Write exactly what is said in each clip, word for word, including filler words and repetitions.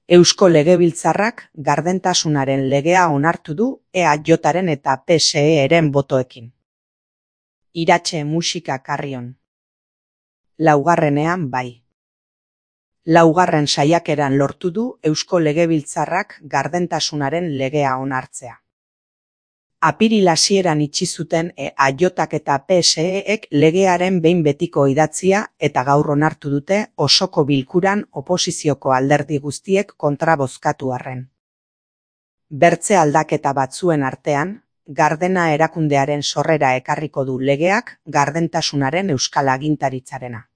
Eusko Legebiltzarrak gardentasunaren legea onartu du E A Jaren eta P S E-ren botoekin. Iratxe musika Carrion. Laugarrenean bai. Laugarren saiakeran lortu du Eusko Legebiltzarrak gardentasunaren legea onartzea. Apiril hasieran itxi zuten E A Jak eta P S E-ek legearen behin betiko idatzia eta gaur onartu dute osoko bilkuran oposizioko alderdi guztiek kontra bozkatu arren. Bertze aldaketa batzuen artean, Gardena erakundearen sorrera ekarriko du legeak gardentasunaren euskal agintaritzarena.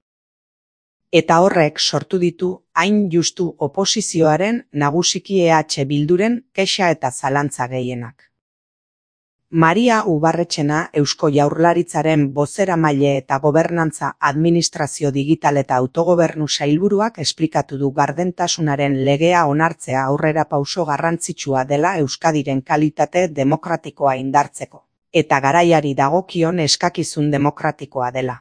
Eta horrek sortu ditu hain justu oposizioaren nagusiki E H Bilduren kexa eta zalantza gehienak. Maria Ubarretxena Eusko Jaurlaritzaren bozeramaile eta gobernantza administrazio digital eta autogobernu sailburuak esplikatu du gardentasunaren legea onartzea aurrera pauso garrantzitsua dela Euskadiren kalitate demokratikoa indartzeko, eta garaiari dagokion eskakizun demokratikoa dela.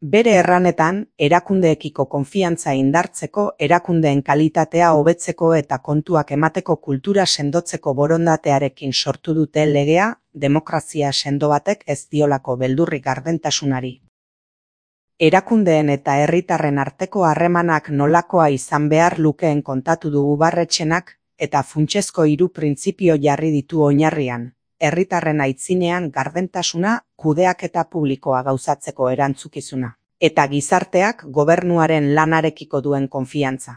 Bere erranetan, erakundeekiko konfiantza indartzeko, erakundeen kalitatea hobetzeko eta kontuak emateko kultura sendotzeko borondatearekin sortu dute legea, demokrazia sendo batek ez diolako beldurrik gardentasunari. Erakundeen eta herritarren arteko harremanak nolakoa izan behar lukeen kontatu du Ubarretxenak, eta funtsezko hiru printzipio jarri ditu oinarrian. Herritarren aitzinean gardentasuna, kudeaketa publikoa gauzatzeko erantzukizuna, eta gizarteak gobernuaren lanarekiko duen konfiantza.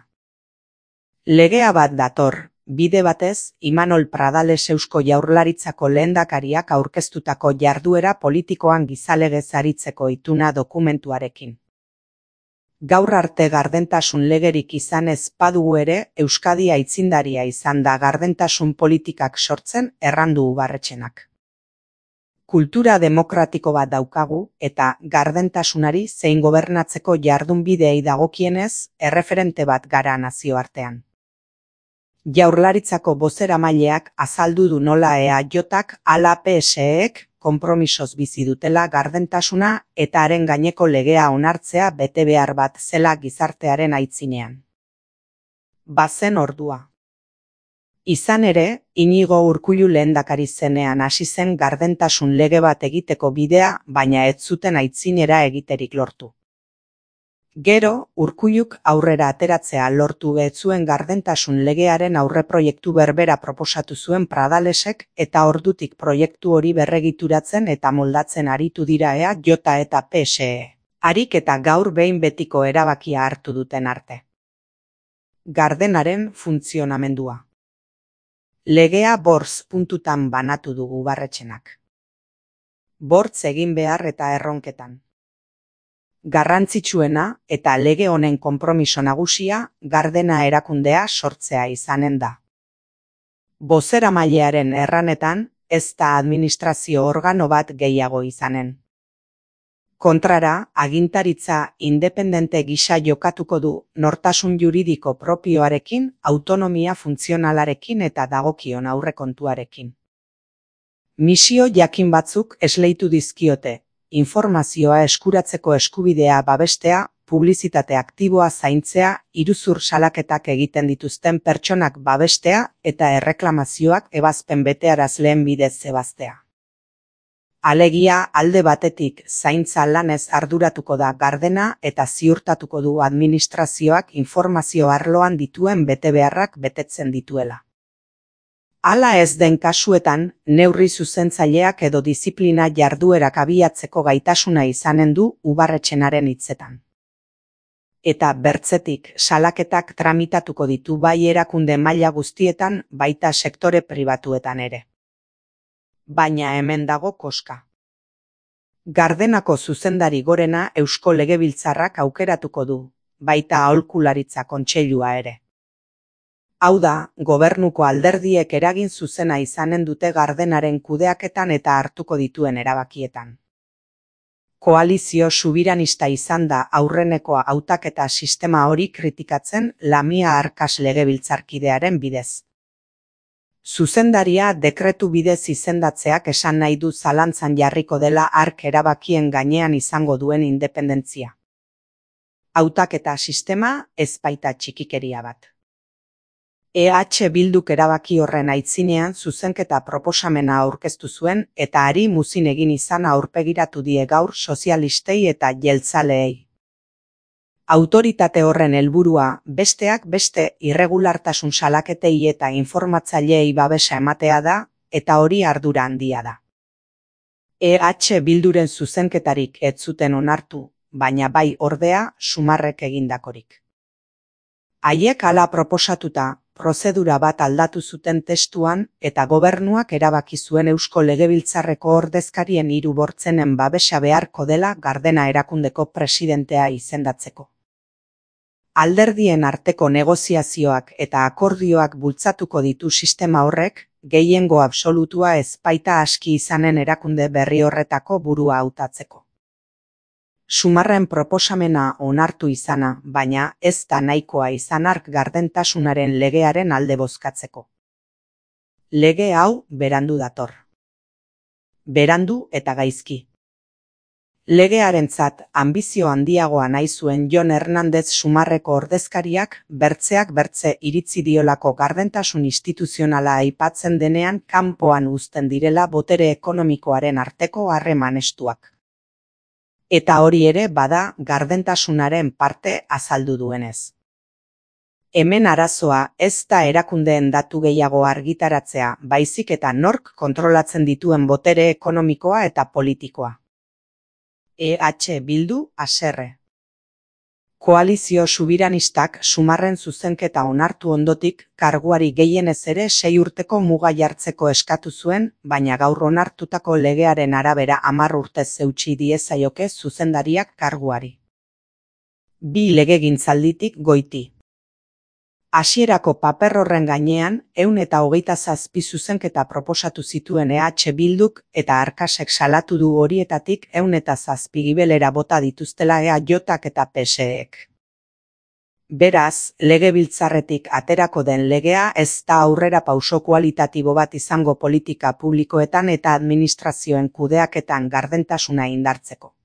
Legea bat dator, bide batez, Imanol Pradales Eusko Jaurlaritzako lehendakariak aurkeztutako jarduera politikoan gizalegez aritzeko ituna dokumentuarekin. Gaur arte gardentasun legerik izan ez badugu ere, Euskadi aitzindaria izan da gardentasun politikak sortzen errandu Ubarretxenak. Kultura demokratiko bat daukagu eta gardentasunari zein gobernatzeko jardunbideei dagokienez erreferente bat gara nazioartean. Jaurlaritzako bozeramaileak azaldu du nola E A Jak ala P S E-ek konpromisoz bizi dutela gardentasuna eta haren gaineko legea onartzea bete behar bat zela gizartearen aitzinean. Bazen ordua. Izan ere, Inigo Urkullu lehendakari zenean hasi zen gardentasun lege bat egiteko bidea, baina ez zuten aitzinera egiterik lortu. Gero, Urkulluk aurrera ateratzea lortu ez zuen gardentasun legearen aurreproiektu berbera proposatu zuen Pradalesek eta ordutik proiektu hori berregituratzen eta moldatzen aritu dira E A Jak eta P S E. Harik eta gaur behin betiko erabakia hartu duten arte. Gardenaren funtzionamendua. Legea bortz puntutan banatu dugu Ubarretxenak. Bortz egin behar eta erronketan. Garrantzitsuena eta lege honen konpromiso nagusia Gardena erakundea sortzea izanen da. Bozeramailearen erranetan ez da administrazio organo bat gehiago izanen. Kontrara, agintaritza independente gisa jokatuko du nortasun juridiko propioarekin, autonomia funtzionalarekin eta dagokion aurrekontuarekin. Misio jakin batzuk esleitu dizkiote. Informazioa eskuratzeko eskubidea babestea, publizitate aktiboa zaintzea, iruzur salaketak egiten dituzten pertsonak babestea eta erreklamazioak ebazpen betearazleen bidez zebaztea. Alegia alde batetik zaintza lanez arduratuko da Gardena eta ziurtatuko du administrazioak informazio arloan dituen betebeharrak betetzen dituela. Hala ez den kasuetan, neurri zuzentzaileak edo diziplina jarduerak abiatzeko gaitasuna izanen du Ubarretxenaren hitzetan. Eta bertzetik, salaketak tramitatuko ditu bai erakunde maila guztietan, baita sektore pribatuetan ere. Baina hemen dago koska. Gardenako zuzendari gorena Eusko Legebiltzarrak aukeratuko du, baita aholkularitza kontseilua ere. Hau da, gobernuko alderdiek eragin zuzena izanen dute Gardenaren kudeaketan eta hartuko dituen erabakietan. Koalizio subiranista izan da aurreneko hautaketa sistema hori kritikatzen Lamia Arkas legebiltzarkidearen bidez. Zuzendaria dekretu bidez izendatzeak esan nahi du zalantzan jarriko dela hark erabakien gainean izango duen independentzia. Hautaketa sistema ez baita txikikeria bat. E H Bilduk erabaki horren aitzinean zuzenketa proposamena aurkeztu zuen eta hari muzin egin izana aurpegiratu die gaur sozialistei eta jeltzaleei. Autoritate horren helburua besteak beste irregulartasun salaketei eta informatzaileei babesa ematea da eta hori ardura handia da. E H Bilduren zuzenketarik ez zuten onartu, baina bai ordea Sumarrek egindakorik. Haiek hala proposatuta, prozedura bat aldatu zuten testuan eta gobernuak erabaki zuen Eusko Legebiltzarreko ordezkarien hiru bortzenen babesa beharko dela Gardena erakundeko presidentea izendatzeko. Alderdien arteko negoziazioak eta akordioak bultzatuko ditu sistema horrek, gehiengo absolutua ez baita aski izanen erakunde berri horretako burua hautatzeko. Sumarren proposamena onartu izana, baina ez da nahikoa izan hark gardentasunaren legearen alde bozkatzeko. Lege hau berandu dator. Berandu eta gaizki. Legearentzat anbizio handiagoa nahi zuen Jon Hernandez Sumarreko ordezkariak bertzeak bertze iritzi diolako gardentasun instituzionala aipatzen denean kanpoan uzten direla botere ekonomikoaren arteko harreman estuak. Eta hori ere bada gardentasunaren parte azaldu duenez. Hemen arazoa ez da erakundeen datu gehiago argitaratzea, baizik eta nork kontrolatzen dituen botere ekonomikoa eta politikoa. E H Bildu haserre. Koalizio subiranistak Sumarren zuzenketa onartu ondotik karguari gehienez ere sei urteko muga jartzeko eskatu zuen, baina gaur onartutako legearen arabera hamar urtez eutsi diezaioke zuzendariak karguari. Bi legegintzalditik goiti. Hasierako paper horren gainean, ehun eta hogeita zazpi zuzenketa proposatu zituen E H Bilduk eta Arkasek salatu du horietatik ehun eta zazpi gibelera bota dituztela E H K eta P S Ek. Beraz, legebiltzarretik aterako den legea ez da aurrera pauso kualitatibo bat izango politika publikoetan eta administrazioen kudeaketan gardentasuna indartzeko.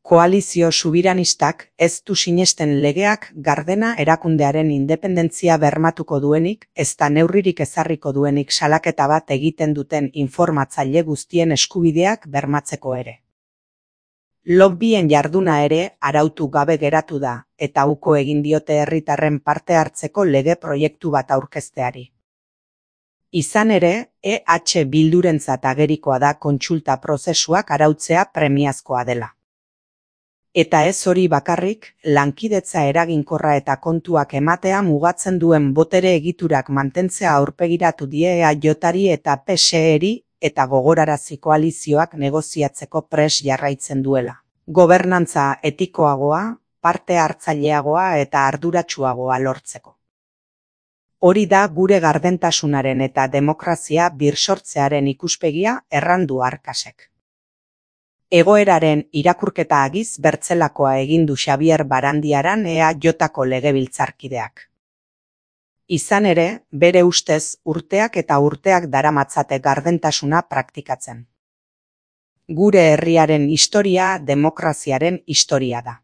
Koalizio subiranistak ez du sinesten legeak Gardena erakundearen independentzia bermatuko duenik, ez da neurririk ezarriko duenik salaketa bat egiten duten informatzaile guztien eskubideak bermatzeko ere. Lobbyen jarduna ere arautu gabe geratu da, eta uko egin diote herritarren parte hartzeko lege proiektu bat aurkezteari. Izan ere, E H Bildurentzat agerikoa da kontsulta prozesuak arautzea premiazkoa dela. Eta ez hori bakarrik, lankidetza eraginkorra eta kontuak ematea mugatzen duen botere egiturak mantentzea aurpegiratu die E H Ri eta P S Eri eta gogorarazi koalizioak negoziatzeko pres jarraitzen duela. Gobernantza etikoagoa, parte hartzaileagoa eta arduratsuagoa lortzeko. Hori da gure gardentasunaren eta demokrazia birsortzearen ikuspegia errandu Arkasek. Egoeraren irakurketa agiz bertzelakoa egin du Xabier Barandiaran E H Ko legebiltzarkideak. Izan ere, bere ustez urteak eta urteak daramatzate gardentasuna praktikatzen. Gure herriaren historia demokraziaren historia da.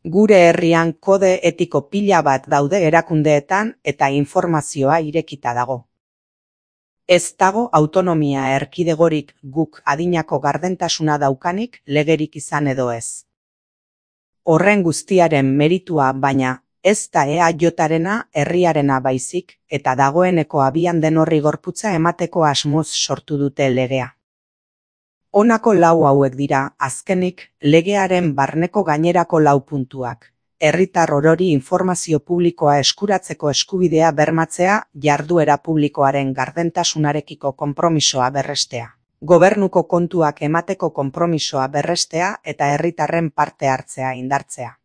Gure herrian kode etiko pila bat daude erakundeetan eta informazioa irekita dago. Ez dago autonomia erkidegorik guk adinako gardentasuna daukanik legerik izan edo ez. Horren guztiaren meritua baina, ez da E H Rena herriarena baizik eta dagoeneko abian den horri gorputza emateko asmoz sortu dute legea. Honako lau hauek dira, azkenik, legearen barneko gainerako lau puntuak. Herritar orori informazio publikoa eskuratzeko eskubidea bermatzea, jarduera publikoaren gardentasunarekiko konpromisoa berrestea. Gobernuko kontuak emateko konpromisoa berrestea eta herritarren parte hartzea indartzea.